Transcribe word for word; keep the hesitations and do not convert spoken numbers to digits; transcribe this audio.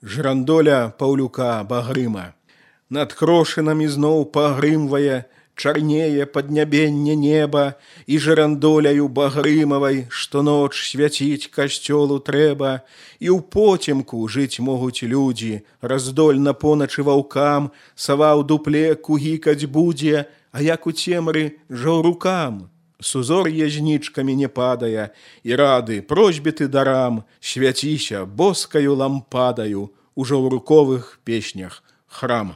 Жрандоля Паўлюка Багрыма. Над крошынамі зноў пагрымвае, чарнее паднябенне неба, і жрандоляю багрымавай штоноч свяціць касцёлу трэба, і ў потемку жыць могуць людзі, раздольна поначы ваўкам, сава ў дупле кугікаць будзе, а як у цемры жаўрукам. Сузор'е знічкамі не падае, і рады просьбіты дарам, свяціся боскаю лампадаю у жаўруковых песнях храм.